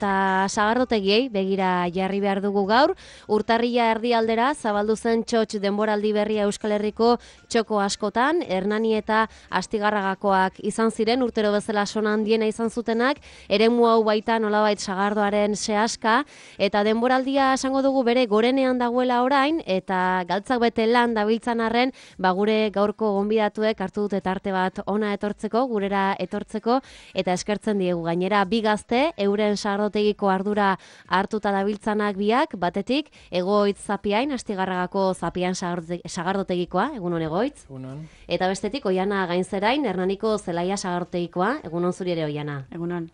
eta sagardotegiei begira jarri behar dugu gaur. Urtarrila erdialdera zabaldu zen txotx denboraldi berria Euskal Herriko txoko askotan, Hernani eta Astigarragakoak izan ziren, urtero bezala sona handiena izan zutenak, eremu hau baita nolabait sagardoaren sehaska, eta denboraldia esango dugu bere gorenean dagoela orain, eta galtzak bete lan dabiltzan arren, gure gaurko gonbidatuek hartu dute tarte bat ona etortzeko, gurera etortzeko, eta eskertzen diegu gainera bi gazte, euren sagardotegiko ardura hartuta dabiltzanak biak, batetik, Egoitz Zapiain, Astigarragako Zapiain sagardotegikoa, egunon Egoitz. Egunon. Eta bestetik, Oiana Gainzerain, Hernaniko Zelaia sagardotegikoa, egunon zuri ere Oiana. Egunon.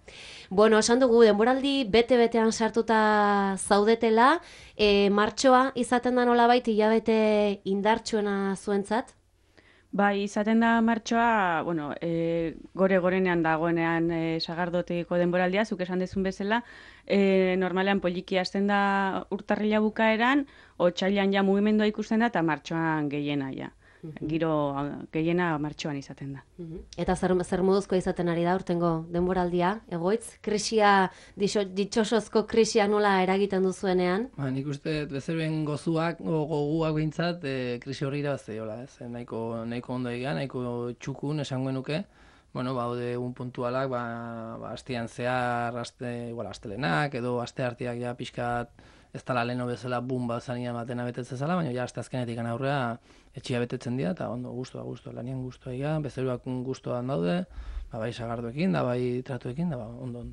Bueno, esan dugu, denboraldi bete-betean sartuta zaudetela, martxoa izaten da nolabait hilabete indartsuena zuentzat? Bai, izaten da martxoa, bueno, gorenean dagoenean sagardotegiko denboraldia, zuk esan dezun bezala, normalean poliki hasten da urtarrila bukaeran, otsailean ja mugimendua ikusten da, eta martxoan gehiena ja. Giro gehiena martxoan izaten da. Eta zer moduzko izaten ari da urtengo denboraldia, Egoitz? Krisia, ditxosozko krisia nola eragiten duzuenean? Nik uste bezeroen gozuak, goguak behintzat, krisi horri irabazteiola, ez? Nahiko ondo egia, nahiko txukun esango nuke. Bueno, baude egun puntualak, astean zehar, astelenak, edo aste arteak ja pixkat ez dala leheno bezala bumba zania matena betetzen zela, baina ja aste azkenetik aurrera etxia betetzen dira, eta ondo, guztua, lanian guztua egia, bezeroak guztuan daude, bai sagardoekin, da bai tratuekin, da ondo.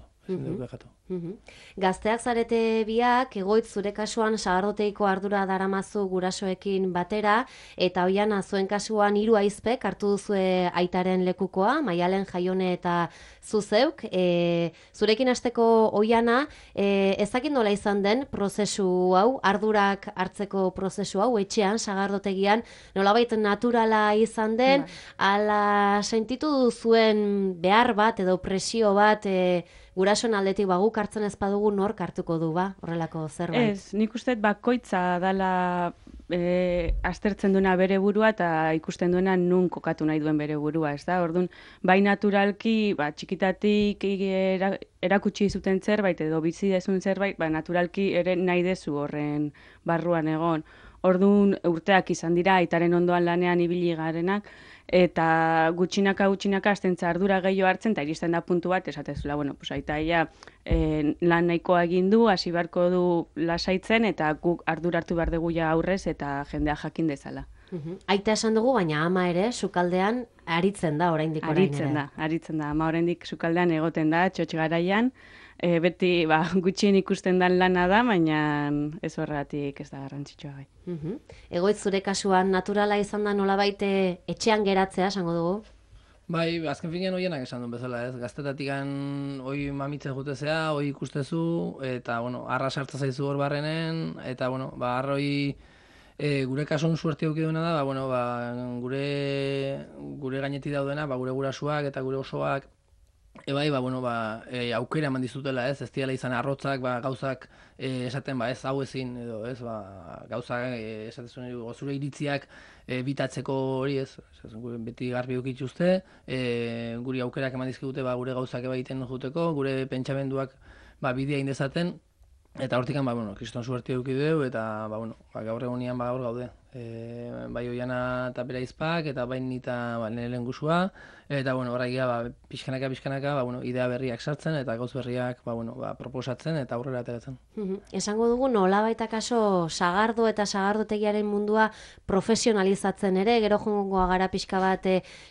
Gazteak zarete biak, Egoitz zure kasuan sagardoteiko ardura daramazu gurasoekin batera, eta Oiana zuen kasuan 3 ahizpek hartu duzue aitaren lekukoa, Maialen, Jaione eta zuzeuk. Zurekin hasteko Oiana, ezakit nola izan den prozesu hau, ardurak hartzeko prozesu hau, etxean, sagardotegian, nolabait naturala izan den, ala sentitu zuen behar bat edo presio bat, gurasoen aldetik guk hartzen ez badugu nork hartuko du horrelako zerbait? Ez, nik uste bakoitza dala aztertzen duena bere burua eta ikusten duena nun kokatu nahi duen bere burua, ez da? Orduan, bai naturalki, txikitatik erakutsi zuten zerbait edo bizi dezun zerbait, naturalki ere nahi dezu horren barruan egon. Orduan, urteak izan dira, aitaren ondoan lanean ibili garenak, eta gutxinaka aztentza ardura gehiago hartzen, eta iristen da puntu bat, esatezula, bueno, aitaia lan nahikoa egin du, hasi beharko du lasaitzen, eta guk ardura hartu behar dugu ja aurrez, eta jendea jakin dezala. Aita esan dugu, baina ama ere, sukaldean aritzen da oraindik orain ere. Aritzen da, ama oraindik sukaldean egoten da, txotx garaian, beti gutxien ikusten dan lana da, baina ez horregatik ez da garrantzitsua gai. Egoitz zure kasuan naturala izan da nolabait etxean geratzea, esango dugu? Bai, azken finean Oianak esan duen bezala, ez? Gaztetatikan hoi mamitzen jutezea, hoi ikustezu, eta, arra sartza zaizu hor barrenen, eta, arroi gure kasuan suerte eduki duena da, gure gainetik daudena, gure gurasuak eta gure osoak, aukera eman dizutela, ez diala izan arrotzak, gauzak esaten, ez hau ezin, edo, ez, gauzak esaten zure iritziak bitatzeko hori, ez, beti garbi ukituzte, guri aukerak eman dizkigute, gure gauzak egiten juteko, gure pentsamenduak bidea indezaten, eta hortikan, kriston suerte eduki dugu, eta, gaur egonian gaur gaude. Bai Oiana eta bere ahizpak, eta bai nita nire lehengusua, eta horregia pixkanaka idea berriak sartzen, eta gauz berriak proposatzen, eta aurrera ateratzen. Esango dugu nolabait akaso sagardo eta sagardotegiaren mundua profesionalizatzen ere, gero joangoa gara pixka bat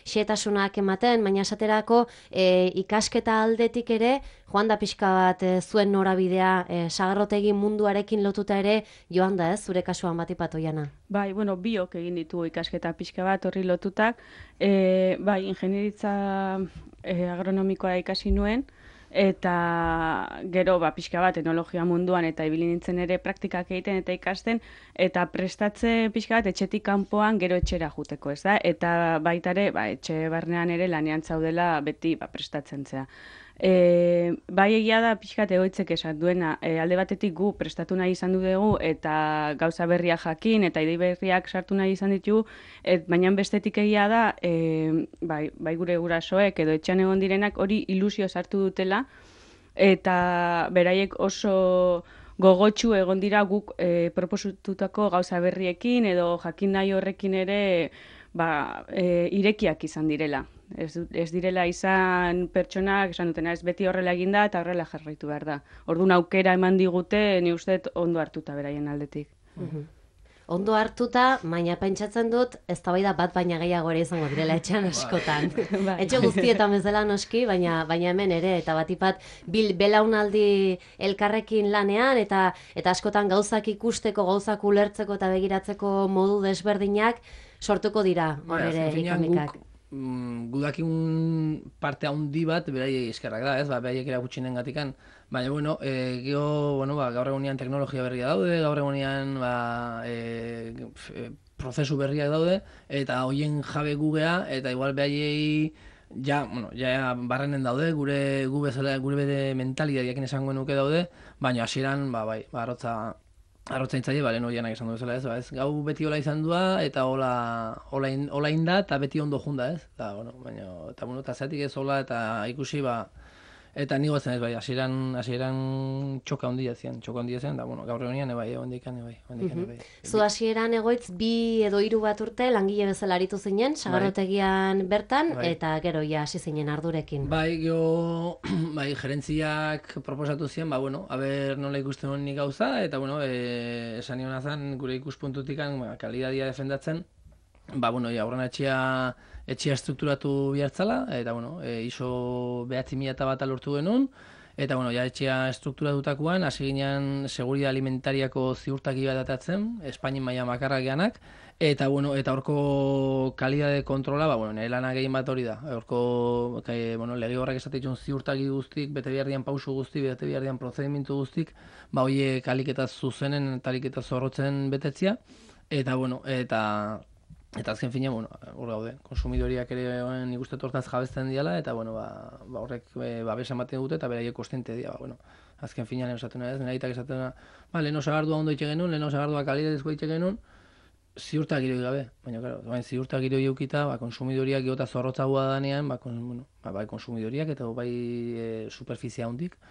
xehetasunak ematen, baina esaterako ikasketa aldetik ere, joan da pixka bat zuen norabidea sagarrotegi munduarekin lotuta ere joan da, ez, zure kasuan batipat Oiana? Bai, biok egin ditugu ikasketa pixka bat horri lotutak. Bai, ingenieritza agronomikoa ikasi nuen, eta gero pixka bat enologia munduan eta ibili nintzen ere praktikak egiten eta ikasten, eta prestatze pixka bat etxetik kanpoan gero etxera juteko, ez da? Eta baita ere, etxe barnean ere lanean zaudela beti prestatzen zea. Bai egia da pixkat Egoitzek esan duena, alde batetik gu prestatu nahi izan dugu eta gauza berriak jakin eta idei berriak sartu nahi izan ditugu, baina bestetik egia da bai gure gurasoek edo etxean egon direnak hori ilusio sartu dutela, eta beraiek oso gogotsu egon dira guk proposatutako gauza berriekin edo jakin nahi horrekin ere irekiak izan direla. Ez direla izan pertsonak esan dutena, ez beti horrela eginda eta horrela jarraitu behar da. Orduan aukera eman digute, ni uste ondo hartuta beraien aldetik. Ondo hartuta, baina pentsatzen dut, eztabaida bat baina gehiago ere izango direla etxean askotan. Etxe guztietan bezala noski, baina hemen ere, eta batipat belaunaldi elkarrekin lanean, eta askotan gauzak ikusteko, gauzak ulertzeko eta begiratzeko modu desberdinak sortuko dira, hor ere ikemikak. Gudakin parte handi bat beraiei eskerrak da, ez? Beraiek erakutxinen gatikan. Baina, bueno, gaur egunean teknologia berria daude, gaur egunean prozesu berriak daude, eta hoien jabe gugea, eta igual beraiei ja barrenen daude, gure bere mentalitateakin esango nuke daude, baina hasieran, arrotza intzaile, lehen horianak esan du bezala, ez? Gau beti hola izan dua, eta hola inda, eta beti ondo junda, ez? Eta zeatik ez hola, eta ikusi, eta nigo zen ez, hasieran txoka handia zen, da, gaur egunean, ondikan. Zu hasieran egoitz 2 edo 3 bat urte langile bezala aritu zinen, sagardotegian bertan, eta gero ja hasi zinen ardurekin. Gerentziak proposatu ziren, aber nola ikusten hon nik gauza, eta, esan nion azan, gure ikuspuntutikan, kalidadia defendatzen, aurrena etxea strukturatu bihartzala, eta, ISO 9.001 lortu genuen, eta, etxea strukturatutakoan, hasi ginen seguridad alimentariako ziurtaki bat atatzen, Espainien maila makarra geanak, eta, horko kalidade kontrola, nire lana gehien bat hori da. Horko, lege horrek esatetxun ziurtaki guztik, bete behar dian pausu guztik, bete behar dian prozedimentu guztik, horiek aliketa zuzenen, aliketa zorrotzen betetzia, eta azken fina, hor gaude, konsumidoriak ere nik uste tortaz jabezten diala, eta horrek babesa ematen dute, eta beraiek kostiente dira, azken fina lehen esaten ez, nire aitak esaten lehen osagardua ondo itxe genuen, lehen osagardua kalidadezko itxe genuen, ziurtak iroi gabe, baina ziurtak iroi eukita, konsumidoriak geota zorrotzagoa danean, bai konsumidoriak eta bai superfizia hondik,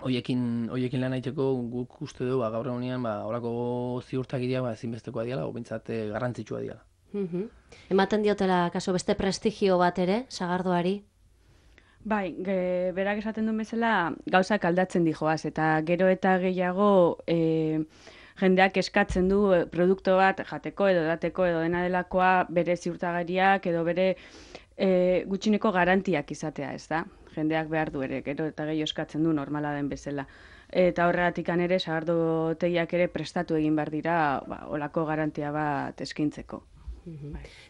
Hoiekin lan haiteko guk uste du gaur egunean horako ziurtagiria ezinbestekoa diala, o bintzat garrantzitsua diala. Ematen diotela, kaso, beste prestigio bat ere, sagardoari? Bai, berak esaten duen bezala gauzak aldatzen dijoaz, eta gero eta gehiago jendeak eskatzen du produktu bat jateko edo dateko edo dena delakoa bere ziurtagariak edo bere gutxineko garantiak izatea, ez da? Jendeak behar du ere, gero eta gehiago eskatzen du normala den bezala. Eta horregatik ere, sagardotegiak ere prestatu egin behar dira, olako garantia bat eskintzeko.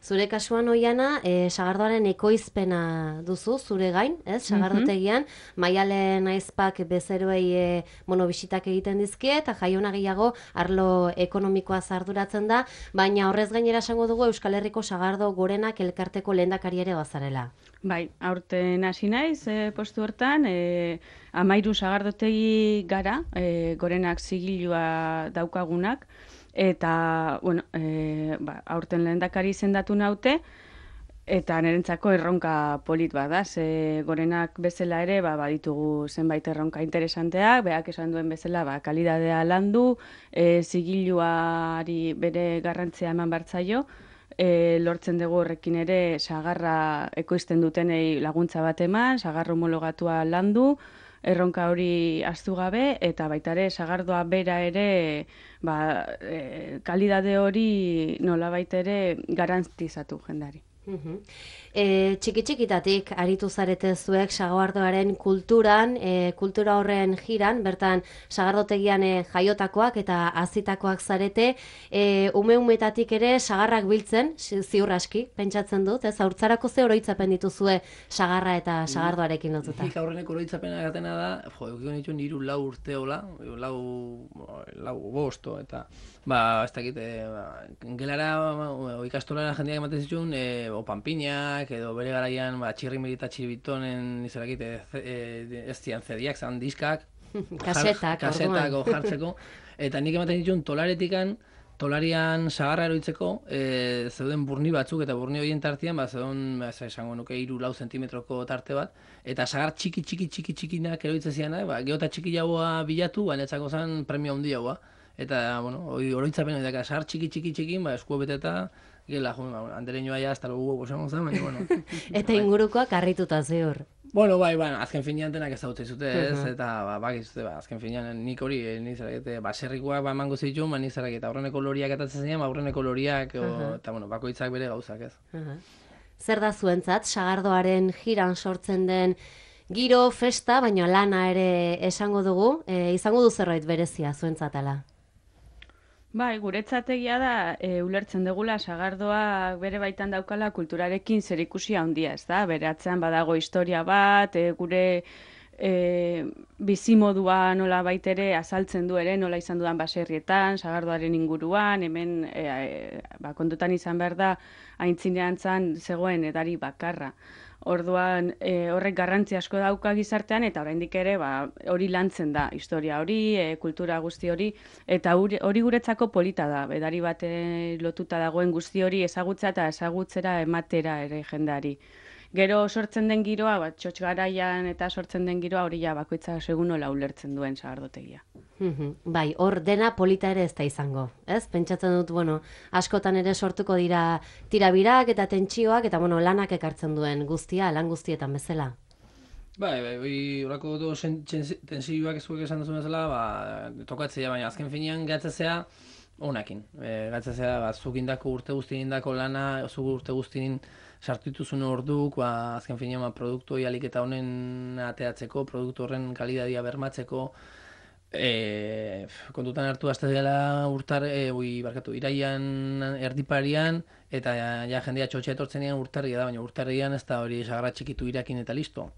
Zure kasuan oiana, sagardoaren ekoizpena duzu, zure gain, ez? Sagardotegian, Maialen Aizpak bezeroei bisitak egiten dizkie, eta Jaiona gehiago arlo ekonomikoa arduratzen da, baina horrez gainera esango dugu Euskal Herriko Sagardo Gorenak elkarteko lehendakari ere bazarela. Bai, aurten hasi naiz postu hortan, 13 sagardotegi gara, Gorenak zigilua daukagunak, eta, aurten lehendakari izendatu naute, eta nirentzako erronka polit bada, ze Gorenak bezala ere, baditugu zenbait erronka interesanteak, beak esan duen bezala, kalidadea landu, zigiluari bere garrantzia eman bartzaio, lortzen dugu horrekin ere sagarra ekoizten dutenei laguntza bat eman, sagarra homologatua landu, erronka hori ahaztu gabe, eta baita ere sagardoa bera ere kalidade hori nolabait ere garantizatu jendari. Txiki-txikitatik aritu zarete zuek sagardoaren kulturan, kultura horren jiran, bertan sagardotegian jaiotakoak eta hazitakoak zarete, ume-umetatik ere sagarrak biltzen, ziur aski, pentsatzen dut, ez haurtzarako ze oroitzapen dituzue sagarra eta sagardoarekin lotuta. Nik aurreneko oroitzapena gatena da, eukiko nitu niru 4 urte hola, 5, eta ez dakit, gelara, ikastolara jendeak ematen zituen, panpinak, edo bere garaian txirrimiri eta txiribitonen izarakit ez zian zediak, zan diskak, kasetak jartzeko, eta nik ematen dituen tolarian sagarra eroitzeko, zeuden burni batzuk, eta burni horien tartean, zeuden, esango nuke, 3-4 zentimetroko tarte bat, eta sagar txikinak eroitzen zianak, geota txiki jaua bilatu, netzako zen premio handi jaua. Eta, oroitzapen hori daka, sagar txiki, eskuo beteta, gela, andereñoa ja, hasta lugu gozagon zen, baina, bueno. Eta ingurukoak harrituta ziur. Bueno, bai, azken finean denak ezagutzen zute, ez, eta, azken finean nik hori, baserrikoak emango zituen, nik zerak, eta aurreneko loriak atatzen zinean, aurreneko loriak, eta, bakoitzak bere gauzak, ez. Zer da zuentzat, sagardoaren jiran sortzen den giro, festa, baina lana ere esango dugu, izango du zerbait berezia zuentzatala? Bai, guretzategia da, ulertzen dugula sagardoa bere baitan daukala kulturarekin zerikusia handia, ez da? Bere atzean badago historia bat, gure bizimodua nola baitere azaltzen du ere, nola izan dudan baserrietan, sagardoaren inguruan, hemen kontutan izan behar da, aintzinean zan zegoen edari bakarra. Orduan horrek garrantzi asko dauka gizartean eta oraindik ere hori lantzen da historia hori, kultura guzti hori eta hori guretzako polita da. Edari bat lotuta dagoen guzti hori ezagutza eta ezagutzera ematera ere jendeari. Gero sortzen den giroa, txotx garaian eta sortzen den giroa hori ja bakoitza segun nola ulertzen duen sagardotegia. Bai, hor dena polita ere ez da izango, ez? Pentsatzen dut, askotan ere sortuko dira tirabirak eta tentsioak eta, lanak ekartzen duen guztia, lan guztietan bezala. Bai, horako tentsioak ezuek esan duzu bezala, tokatzea, baina azken finean gatzazea honakin. Gatzazea, zuk indako urte guztien indako lana, zuk urte guztien sartituzun orduk, azken finean produktu alik eta honen ateatzeko, produktu horren kalidadia bermatzeko, kontutan hartu azte dela iraian erdiparian, eta jendea txotxe etortzenean urtarria da, baina urtarrian ez da hori sagarra txikitu irakin eta listo.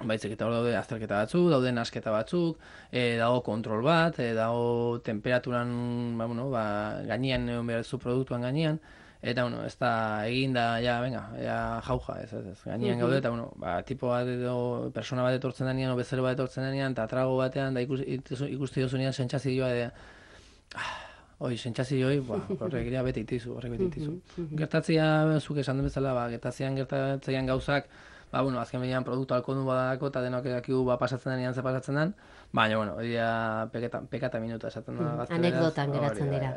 Baizik eta hor daude azterketa batzuk, daude nasketa batzuk, dago kontrol bat, dago temperaturan gainean egon behar zu produktuan gainean, eta ez da eginda, jauja, ez, gainean gaude, eta tipo bat edo persona bat etortzen denean, o bezero bat etortzen denean, eta trago batean, da ikusti dozunean sentsazioa, sentsazioa, horrek bete itizu. Gertatzea, zuk esan den bezala, gertatzean gauzak, azken behian produktu alkondu badako eta denok edakigu pasatzen denean ze pasatzen den, baina, hori da pekata minuta esaten da gazteleraz. Anekdotan geratzen dira.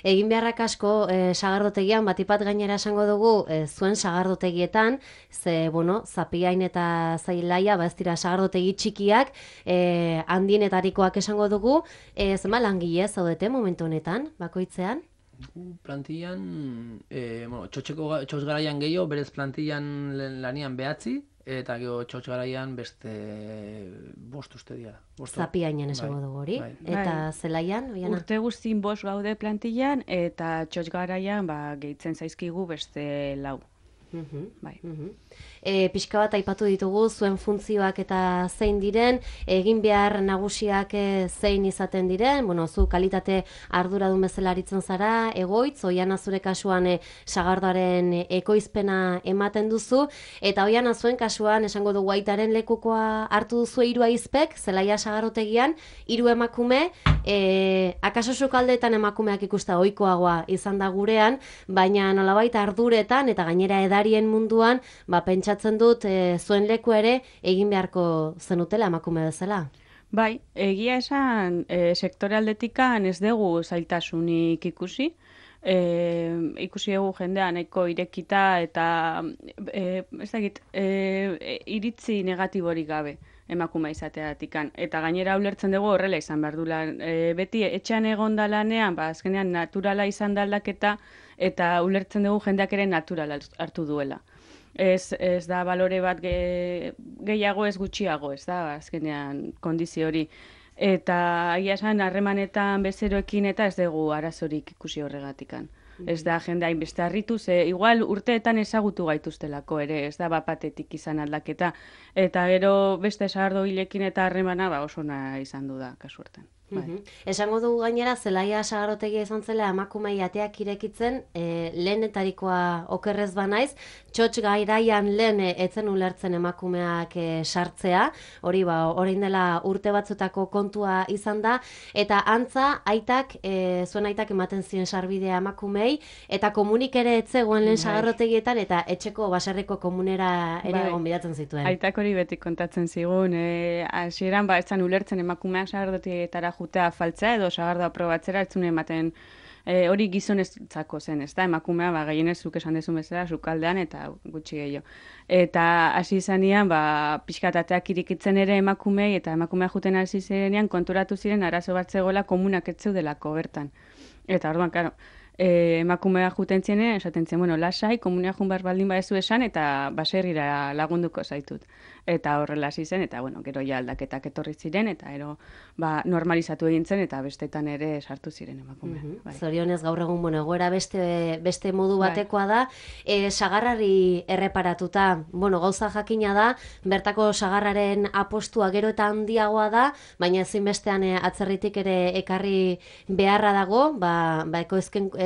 Egin beharrak asko sagardotegian, batipat gainera esango dugu, zuen sagardotegietan, ze, zapiain eta zailaia, ez dira sagardotegi txikiak, handienetarikoak esango dugu, zema langile zaudete momentu honetan, bakoitzean? Plantillan, txotx garaian gehiago, berez plantillan lanian 9, eta gero txotx garaian beste 5 uste dira. Zapiainan esango dugu hori. Eta zelaian, Oiana? Urte guztin 5 gaude plantillan, eta txotx garaian gehitzen zaizkigu beste 4. Pixka bat aipatu ditugu zuen funtzioak eta zein diren, egin behar nagusiak zein izaten diren, zu kalitate arduradun bezala aritzen zara, egoitz, Oiana zure kasuan sagardoaren ekoizpena ematen duzu, eta Oiana zuen kasuan esango dugu aitaren lekukoa hartu duzu 3 aizpek, zelaia sagardotegian, 3 emakume, akaso sukaldeetan emakumeak ikusta ohikoagoa izan da gurean, baina nolabait arduretan eta gainera edarien munduan, pentsatzen dut zuen leku ere egin beharko zenutela emakume bezala. Bai, egia esan sektore aldetikan ez dugu zailtasunik ikusi. Ikusi dugu jendea nahiko irekita eta iritzi negatiborik gabe emakume izateatikan. Eta gainera ulertzen dugu horrela izan behar dula. Beti etxean egon da lanean, azkenean naturala izan da aldaketa eta ulertzen dugu jendeak ere naturala hartu duela. Ez da balore bat gehiago ez gutxiago, ez da, azkenean kondizio hori. Eta agia esan harremanetan bezeroekin eta ez dugu arazorik ikusi horregatikan. Ez da jende hainbeste harritu, igual urteetan ezagutu gaituztelako ere, ez da bapatetik izan aldaketa. Eta gero beste sagardo hilekin eta harremana oso ona izan du da, kasu hortan. Esango dugu gainera, Zelaia sagardotegia izan zela emakumei ateak irekitzen, lehenetarikoa okerrez banaiz, txotx gairaian lehen etzen ulertzen emakumeak sartzea, hori orain dela urte batzutako kontua izan da, eta antza, zuen aitak ematen ziren sarbidea emakumei, eta komunik ere etzegoen lehen sagardotegietan, eta etxeko baserriko komunera ere egon bidatzen zituen. Aitak hori beti kontatzen zigun, hasieran etzan ulertzen emakumeak sagardotegietara jutea faltzea edo sagardoa probatzera etzun ematen hori gizoneztzako zen, ez da? Emakumea gehienez zuk esan dezun bezala sukaldean eta gutxi gehiago. Eta hasi izanean, pixkatateak irikitzen ere emakumei eta emakumea juten hasi zirenean konturatu ziren arazo bat zegoela komunak ez zeudelako bertan. Eta orduan, karo, emakumea juten zienen, esaten zen, lasai, komunea jun behar baldin badezu esan, eta baserrira lagunduko zaitut. Eta horrela hasi zen, eta gero ja aldaketak etorri ziren, eta normalizatu egin zen, eta bestetan ere sartu ziren emakumea. Zorionez gaur egun, egoera beste modu batekoa da, sagarrari erreparatuta, gauza jakina da, bertako sagarraren apostua gero eta handiagoa da, baina ezinbestean atzerritik ere ekarri beharra dago,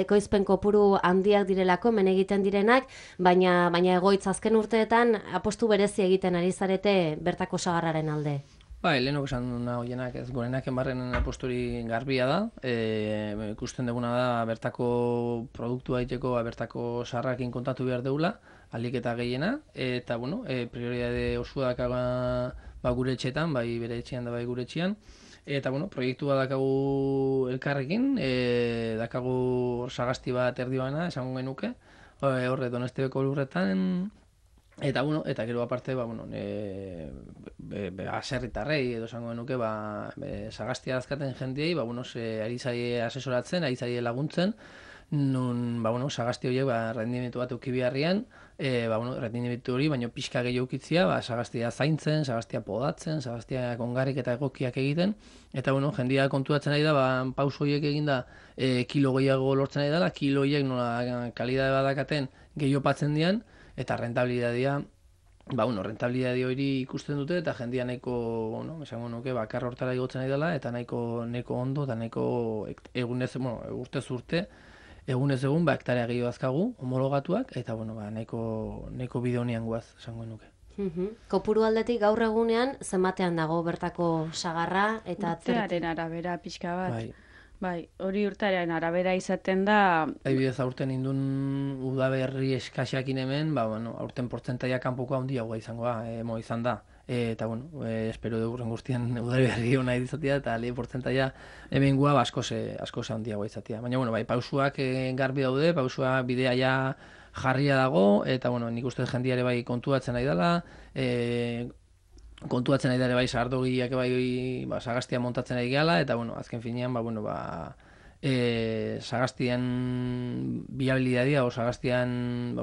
ekoizpen kopuru handiak direlako, hemen egiten direnak, baina egoitz azken urteetan apostu berezi egiten ari zarete bertako sagarraren alde. Lehenok esan duna hoienak, ez gorenak enbarren aposturi garbia da, ikusten duguna da bertako produktua egiteko, bertako sagarrakin kontatu behar deula, alik eta gehiena, eta prioridade osua dakaga gure etxetan, bai bere etxean da bai gure etxean, eta proiektua dakagu elkarrekin, dakagu sagasti bat erdibana, esango genuke, horre Donostebeko lurretan, eta gero aparte, aserritarrei edo esango genuke, sagastia dazkaten jendiei, ari zaie asesoratzen, ari zaie laguntzen, nun, sagasti horiek, rendimendu bat euki beharrian, rendimendu hori, baino pixka gehiago ukitzia, sagastia zaintzen, sagastia podatzen, sagastia kongarrik eta egokiak egiten, eta, jendia konturatzen ari da, pauso horiek eginda, kilo gehiago lortzen ari dela, kilo horiek nola kalidade badakaten gehiopatzen dian, eta rentabilidadea, rentabilidade hori ikusten dute, eta jendia nahiko, esango nuke, bakar hortara igotzen ari dela, eta nahiko ondo, eta nahiko urtez urte, egunez egun, hektarea gehiago azkagu, homologatuak, eta, nahiko bide honian guaz, esango nuke. Kopuru aldetik gaur egunean, zenbatean dago bertako sagarra, eta urtearen arabera pixka bat. Bai, hori urtearen arabera izaten da... Adibidez, aurten indun udaberri eskaxeakin hemen, aurten portzentaia kanpoko handiagoa izan da. Eta, espero dugu guztian udaberri hona izatea, eta lehi portzentaia hemen gua asko handiagoa izatea. Baina, pausuak garbi daude, pausuak bidea ja jarria dago, eta, nik uste jendiare bai kontuatzen nahi dela, kontuatzen ari dara bai sagardogiak sagastia montatzen ari gehala, eta azken finean sagastian biabilidadea o sagastian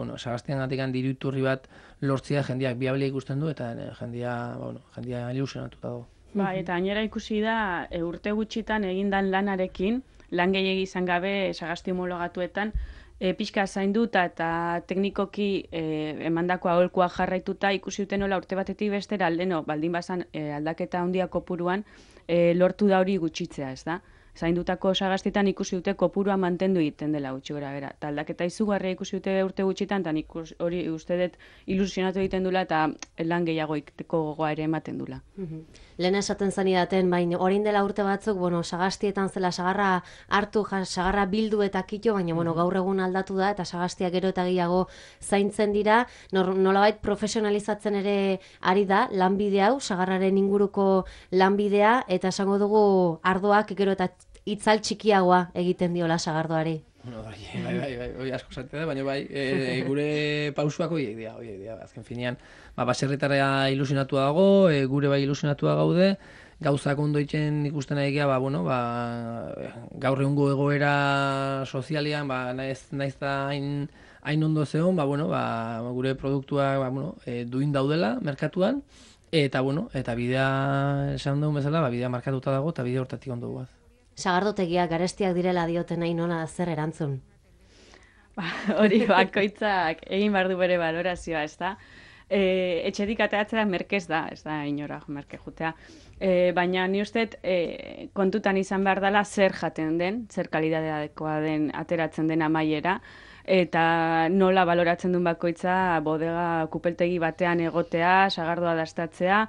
gatikan diruiturri bat lortzea jendiak biabilia ikusten du, eta jendia ilusionatuta dago. Eta gainera ikusi da urte gutxitan egindan lanarekin, lan gehiegi izan gabe sagasti homologatuetan, pixka zainduta eta teknikoki emandako aholkua jarraituta ikusi duten nola urte batetik bestera baldin bazan aldaketa handia kopuruan lortu da hori gutxitzea, ez da? Zaindutako sagastitan ikusi dute kopurua mantendu egiten dela gutxi gora bera. Eta aldaketa izugarria ikusi dute urte gutxitan, eta hori uste dut ilusionatu egiten dula eta lan gehiago ikuteko gogoa ere ematen dula. Lehen esaten zanidaten, baina orain dela urte batzuk, sagastietan zela sagarra hartu, sagarra bildu eta kito, baina gaur egun aldatu da, eta sagastia gero eta gehiago zaintzen dira, nolabait profesionalizatzen ere ari da, lanbide hau, sagarraren inguruko lanbidea, eta esango dugu ardoak gero eta itzal txikiagoa egiten diola sagardoari. Bai, asko zatea da, baina gure pausuak horiek dira, azken finean, baserritara ilusionatua dago, gure bai ilusionatua gaude, gauzak ondo itzen ikusten nahi geha, gaur egungo egoera sozialean, naiz da hain ondo zeon, gure produktuak duin daudela merkatuan, eta bidea esan dugun bezala, bidea markatuta dago, eta bidea hortatik ondo guaz. Sagardotegiak garestiak direla dioten nahi nola zer erantzun? Hori bakoitzak egin behar du bere balorazioa, ez da? etxetik ateratzea merkez da, ez da inora merke jutea. Baina ni uste kontutan izan behar dela zer jaten den, zer kalidadeadekoa den ateratzen den amaiera, eta nola baloratzen duen bakoitza bodega kupeltegi batean egotea, sagardoa dastatzea,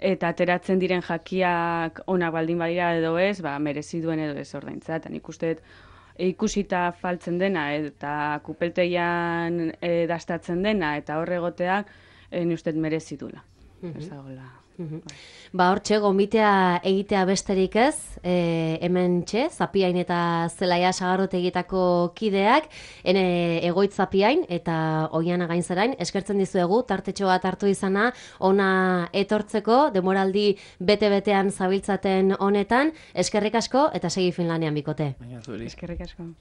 eta ateratzen diren jakiak onak baldin badira edo ez, merezi duen edo ez ordaintza. Eta nik uste ikusita faltzen dena eta kupeltegian dastatzen dena eta hor egoteak, ni uste merezi duela. Ez dagoela. Hortxe, gomitea egitea besterik ez, hemen txe, Zapiain eta Zelaia sagardotegietako kideak, egoitz Zapiain eta Oiana Gainzarain, eskertzen dizuegu, tartetxo bat hartu izana, ona etortzeko, demoraldi bete-betean zabiltzaten honetan, eskerrik asko eta segi Finlandian bikote. Eskerrik asko.